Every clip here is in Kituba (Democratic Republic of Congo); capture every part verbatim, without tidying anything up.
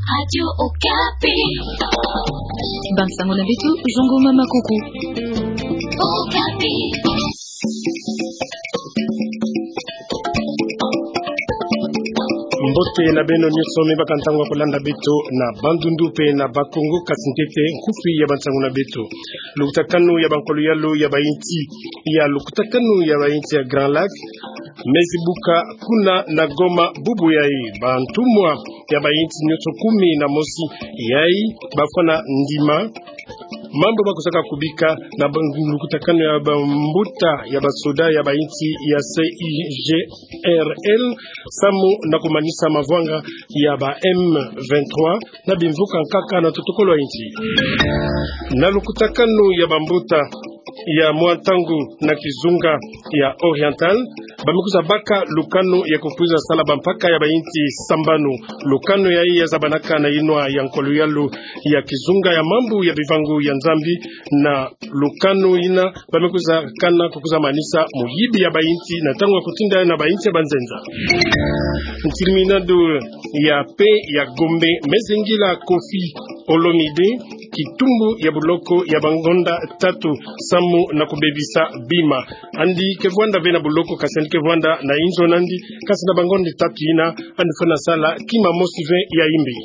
Radio Okapi. Bansango na beto, zongo mama kuku. Okapi. Mbote na beno nyonso me baka ntangu ya kolanda beto na bandundu pe na Bakongo, kasi ntete nkufi ya bansango na beto. Lukutakanu ya bankolo-yalu ya bayinti, ya lukutakanu ya bayinti ya Grand Lac, me zibuka kuna na Goma bubu yayi. Bantumwa ya bayinti nyonso kumi na mosi yayi bafwana ndima mambu bakusaka kubika na ba-, lukutakanu ya bambuta ya basoda ya bayinti ya C I G R L, samu na kumanisa mavwanga ya ba M vingt-trois na bimvuka nkaka na totokolo ya insi. Na lukutakanu ya bambuta ya mwa ntangu na kizunga ya Oriental, ba me kwiza baka lukanu ya kukwiza sala bampaka ya bayinti sambanu. Lukanu yayi ya zabanaka na yinwa ya nkolo-yalu ya kizunga ya mambu ya bivangu ya Nzambi, na lukanu yina ba me kwiza kana kukwiza manisa muyibi ya bayinti na ntangu ya kutinda na bayinti ya banzenza. Ntirminado ya paix ya Gombe me zingila Koffi Olomide kitumbu ya buloko ya bangonda tatu samu na kubebisa bima. Andi ke vwanda ve na buloko, kasi andi ke vwanda na inzo nandi, kasi na bangonda tatu yina andi fwana sala kima mosi ve ya imbi.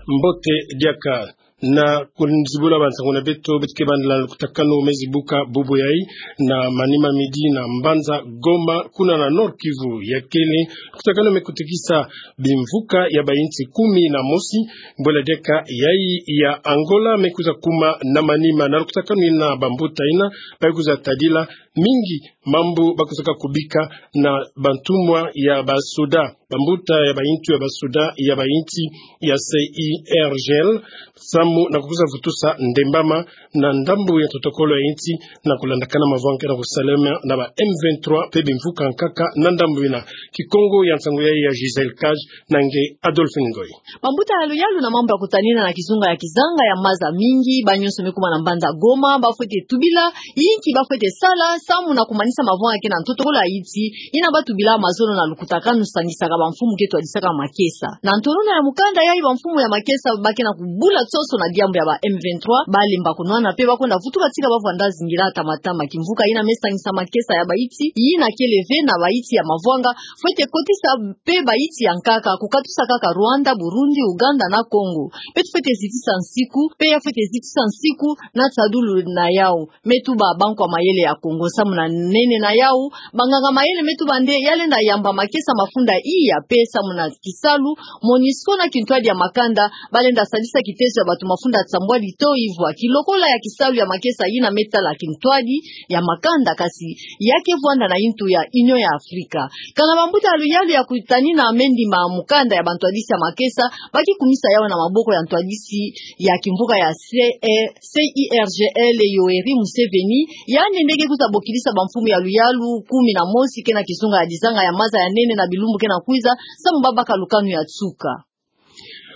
Mbote diaka. Na kunzibula bansango na beto, beto ke bandila lukutakanu me zibuka bubu yayi na manima midi na mbanza Goma, kuna na Nord-Kivu. Ya kele lukutakanu me kutikisa bimvuka ya bayinti kumi na mosi, bwela diaka yayi ya Angola me kwiza kuma na manima. Na lukutakanu yina bambuta yina ba kwiza tadila mingi mambu bakusaka kubika na bantumwa ya basoda, bambuta ya bayintu ya basoda ya bayinti ya C I R G L, samu na kukwiza vutusa ndembama na ndambu ya totokolo ya insi, na kulandakana mavwanga kena kusalama na ba M vingt-trois pe bimvuka nkaka na ndambu yina. Kikongo ya nsangu yayi ya Gisèle Cage, na nge Adolphine Ngoyi. Bambuta ya luyalu na mambu ya kutanina na kizunga ya kizanga ya maza mingi, ba nyonso me kuma na mbanza Goma, bafwete tubila inki bafwete sala samu na kumanisa mavwanga ke na ntotokolo ya insi, yina batubila mazono na lukutakanu sangisaka bamfumu ke twadisaka makesa. Na ntonono ya mukanda yayi, bamfumu ya makesa ba ke na kubula soso na diambu ya ba M vingt-trois, balemba kunwana pe bakwenda vutuka tika bavwanda zingila tamatama. Kimvuka yina me sangisa makesa ya bayinti yina kele ve na bayinti ya mavwanga fwete kotisa pe bayinti ya nkaka, kukatusa kaka Rwanda, Burundi, Uganda na Congo. Beto fwete zitisa nsiku, pe ya fwete zitisa nsiku na nsadulu na yawu. Me tuba bankwa mayele ya Congo samu na nene na yawu, banganga mayele me tuba nde ya lenda yamba makesa mafunda iya pe samu na kisalu, MONUSCO na kintwadi ya makanda balenda sadisa kitezo ya bato mafunda sambwadi to ivwa. Kilokola ya kisalu ya makesa yina me tala kintwadi ya makanda, kasi ya ke vwanda na intu ya Union ya Afrika. Kana bambuta ya luyalu ya kutanina me ndima mukanda ya bantwadisi ya makesa, ba ke kumisa yawu na maboko ya ntwadisi ya kimvuka ya C-, C I R G L, Yoweri Museveni, yandi nde ke kwiza bokidisa bamfumu ya luyalu kumi na mosi ke na kizunga ya dizanga ya maza ya nene na bilumbu ke na kwiza, samu babaka lukanu ya nsuka.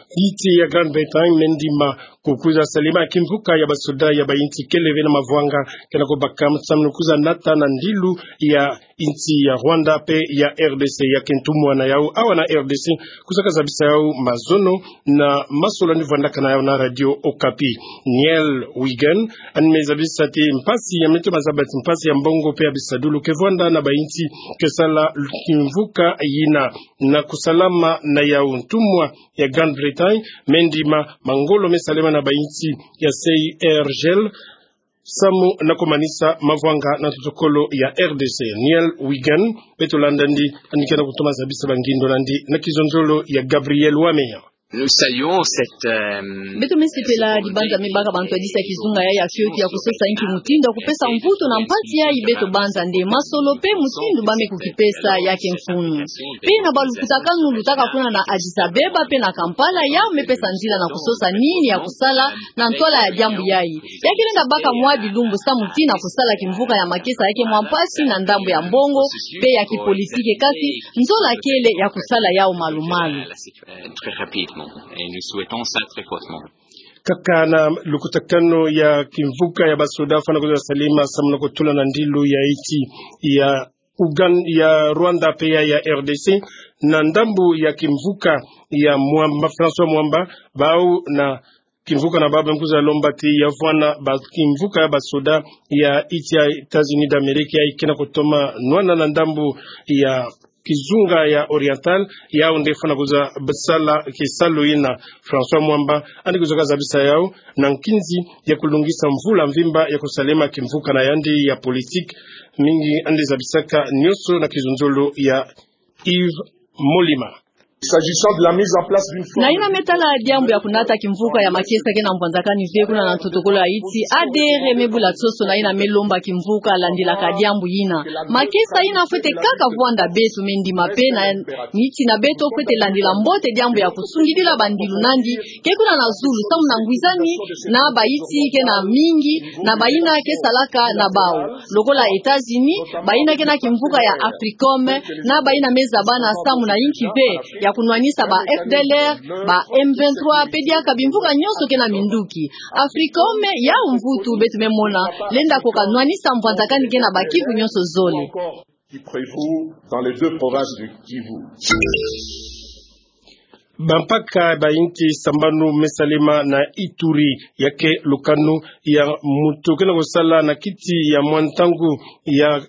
Insi ya Grande-Bretagne me ndima kukwiza salima kimvuka ya basoda ya bayinti kele ve na mavwanga ke na kubaka samu na kwiza nata na ndilu ya insi ya Rwanda pe ya R D C. Ya ke ntumwa na yawu awa na R D C kusaka zabisa yawu mazono na masolo ni vwandaka na yawu na Radio Okapi. Niel Wigan, yandi me zabisa ti mpasi ya meto mazabati mpasi ya mbongo pe ya bisadulu ke vwanda na bayinti ke sala kimvuka yina. Na kusalama na yawu, ntumwa ya Grande-Bretagne me ndima mangolo me salema na bayinti ya C I R G L samu na kumanisa mavwanga na totokolo ya R D C. Niel Wigan, beto landa ndi, yandi ke na kutoma zabisa bangindo nandi na kizonzolo ya Gabriel Wameya. Nous saluons cette, euh, Beto me sepela dibanza me baka bantwadisi ya kizunga yayi ya fioti ya kusosa inki mutindu ya kupesa mvutu na mpasi yayi beto banza nde masolo pe mutindu ba me kukipesa ya ke mfunu. Pe na balukutakanu lutaka kuna na Addis Abeba pe na Kampala, yawu me pesa nzila na kusosa nini ya kusala na ntwala ya diambu yayi. Ya ke lenda baka mwa bilumbu samu ti na kusala kimvuka ya makesa ya ke mwa mpasi na ndambu ya mbongo pe ya kipolitiki, kasi nzola kele ya kusala yawu malu-malu. Euh, très rapidement. Et nous souhaitons ça très fortement. Kaka na lukutakanu ya kimvuka ya basoda fwana kwiza salima samu na kutula na ndilu ya insi ya Ugan-, ya Rwanda pe ya, ya R D C, na ndambu ya kimvuka ya Mwamba, François Mwamba, bau na kimvuka na bau bamekuza lomba ti ya vwana ba kimvuka ya basoda ya nsi ya États-Unis d'Amérique ya ikena kotoma nwana na ndambu ya kizunga ya Oriental, yau nde fwana kuza basala kisalu ina. François Mwamba yandi kuza kazabisa yau na nkinzi ya kulungisa mvula mvimba ya kusalema kimvuka na yandi ya politique, mingi yandi zabisaka nioso na kizunzolo ya Yves Molima. S'agissant de la mise en place d'une forme... Na ina me tala diambu ya kunata kimvuka ya makesa ke na mbwanzakani ve kuna na ntotokolo ya nsi, A D R me bula soso na ina me lomba kimvuka landilaka diambu ina. Makesa ina fwete kaka vwanda, beto me ndima pe na niti na beto fwete landila mbote diambu ya kusungidila bandilu nandi ke kuna na zulu samu na ngwizani na bayi ke na mingi na bayina ke salaka na bau. Lokola États-Unis, bayina ke na kimvuka ya Africom, na bayina me zabana samu na yinki ve ya kunwanisa ba F D L R, ba M vingt-trois, pe diaka bimvuka nionso ke na minduki. Africom yau mvutu beto me mona lenda koka nwanisa mbwanzakani ke na ba Kivu nionso zole. Qui prévaut dans les deux provinces du Kivu. Bampaka ba inti sambanu me salema na Ituri, ya ke lukanu ya mutu ke na kosala na kiti ya mwa ntangu ya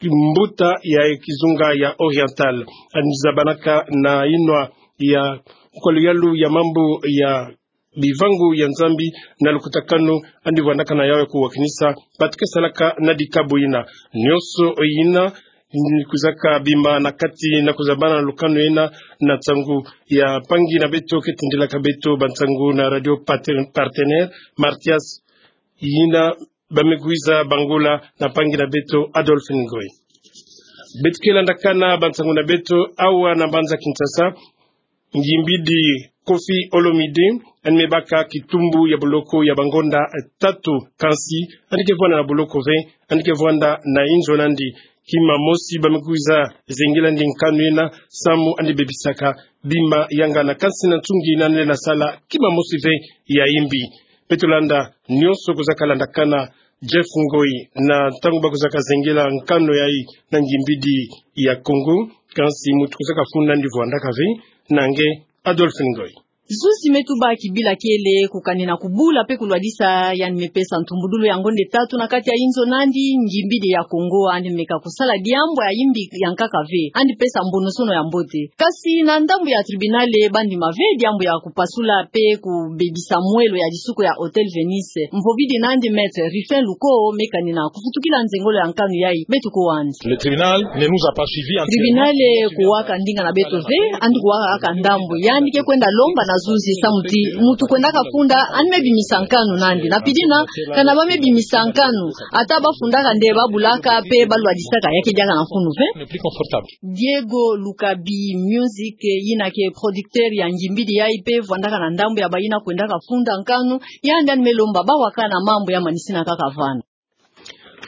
mbuta ya kizunga ya Oriental. Yandi zabanaka na yinwa ya nkwalu yalu ya mambu ya bivangu ya Nzambi na lukutakanu, yandi vwandaka na yau ya kuwakinisa batu ke salaka na dikabu ina. Nionso ina, ni kuzaka bima na kati na kuzabana na lukanu ina, na nsangu ya mpangi na beto ke tindilaka beto bansangu na radio parten-, partenaire, Mathias Yina, ba me kwiza bangula na mpangi na beto Adolphe Ngoyi. Beto ke landakana bansangu na beto awa na mbanza Kinshasa. Ngimbidi Koffi Olomide, yandi me baka kitumbu ya boloko ya bangonda, eh, tatu, kansi yandi ke vwanda na boloko ve, yandi ke vwanda na inzo nandi. Kima mosi ba me kwiza zengela yandi nkanu ina samu yandi bebisaka bima yanga na kansi na nsungi ina yandi na sala kima mosi ve ya yimbi. Beto landa nionso kuzaka landakana Jeff Ngoyi na ntangu ba kuzaka zengela nkanu yayi na Ngimbidi ya Kongo, kansi mutu kuzaka funda yandi vwandaka ve, na nge Adolphe Ngoyi. Zuzi me tuba kibila kiele kukanina kubula pe kulwadisa yandi me pesa ntumbudulu ya ngonda tatu na kati ya inzo nandi, Ngimbidi ya Kongo, yandi me ka kusala diambu ya yimbi ya nkaka ve, yandi pesa mbonosono ya mbote. Kansi na ndambu ya tribunale, ba ndima ve diambu ya kupasula pe kubebisa mwelo ya disuku ya Hôtel Venise. Mvovidi nandi Maître Rufin Luko me kanina kufutukila nzengolo ya nkanu yayi, beto ko wandi. Le tribunal ne nous a pas suivis entièrement. Tribunale kuwaka ndinga na beto ve, yandi kuwaka kaka ndambu. Yandi ke kwenda lomba na zuzi samu ti mutu kwendaka funda, yandi me bimisa nkanu nandi. Na pidina, kana ba me bimisa nkanu, ata ba fundaka nde ba bulaka pe ba lwadisaka, ya ke diaka na funu ve. Ne plus confortable. Diego Lukabi Music, yina ke producteur ya Ngimbidi yayi pe vwandaka na ndambu ya bayina kwendaka funda nkanu, yandi yandi me lomba ba wakana mambu ya manisina kaka vana.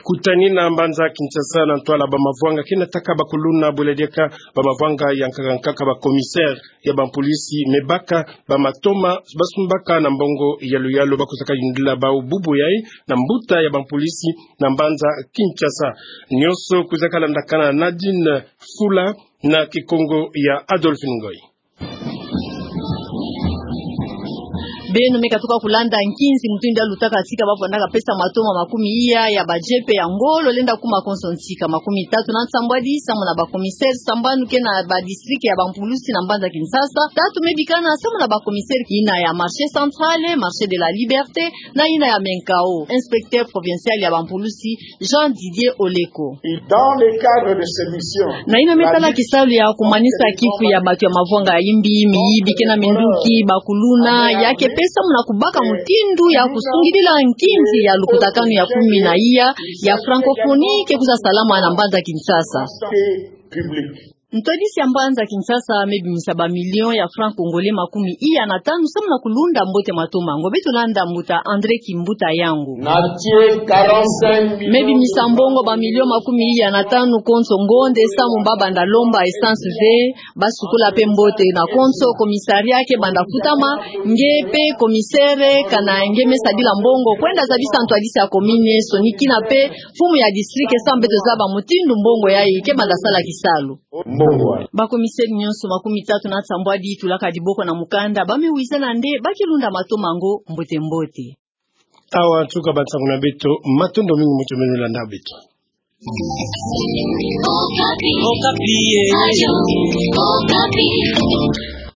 Kutanina mbanza Kinshasa na ntwala ba mavwanga ke nataka bakuluna, bwela diaka ba mavwanga ya nkaka nkaka, ba commissaire ya bampolisi me baka ba matoma ba sumbaka na mbongo yalu yalu ba kuzaka yundila bau bubu yayi na mbuta ya bampolisi na mbanza Kinshasa. Nionso kuzaka landakana na Nadine Fula na Kikongo ya Adolphe Ngoyi. Beno me katuka kulanda nkinzi mutindu ya lutaka tika ba vwandaka pesa matoma makumi iya ya ba jepe ya ngolo lenda kuma konso ntika makumi tatu na nsambwadi samu na ba commissaire sambanu ke na ba district ya bampulusi na mbanza Kinshasa. Tatu me bikana samu na ba commissaire yina ya Marché Central, Marché de la Liberté, na yina ya Menkao. Inspecteur provincial ya bampulusi, Jean Didier Oleko. Et dans le cadre de ces missions, na yina me tala kisalu ya kumanisa kifu ya batu ya mavwanga ya yimbi, miyibi ke na minduki, bakuluna, ya ke pesa muna kubaka mutindu ya kusungidila nkinzi ya lukutakanu ya kumi na iya ya francophonie ke kwiza salama na mbanza Kinshasa. Public. Ntwadisi ya mbanza Kinshasa mebimisa ba millions ya francs congolais makumi iya na tanu samu na kulunda mbote Mato Mango. Beto landa mbuta André Kimbuta Yangу. Na tie quarante-cinq millions. Mebimisa mbongo ba millions makumi iya na tanu konso ngonde samu ba banda lomba essence ve, ba sukula pe mbote. Na konso commissariat ke banda kutama, nge pe commissaire kana nge me sadila mbongo kwenda zabisa ntwadisi ya commune, sonikina pe mfumu ya district samu beto zaba mutindu mbongo yayi ke banda sala kisalu. Mbongo. Ba commissaire nyonso makumi tatu na sambwadi tulaka diboko na mukanda, ba me wizana nde ba ke lunda Mato Mango mbote mbote. Awa nsuka ba nsangu na beto, matondo mingi moto meno landa beto. Okapi. Okapi, eh.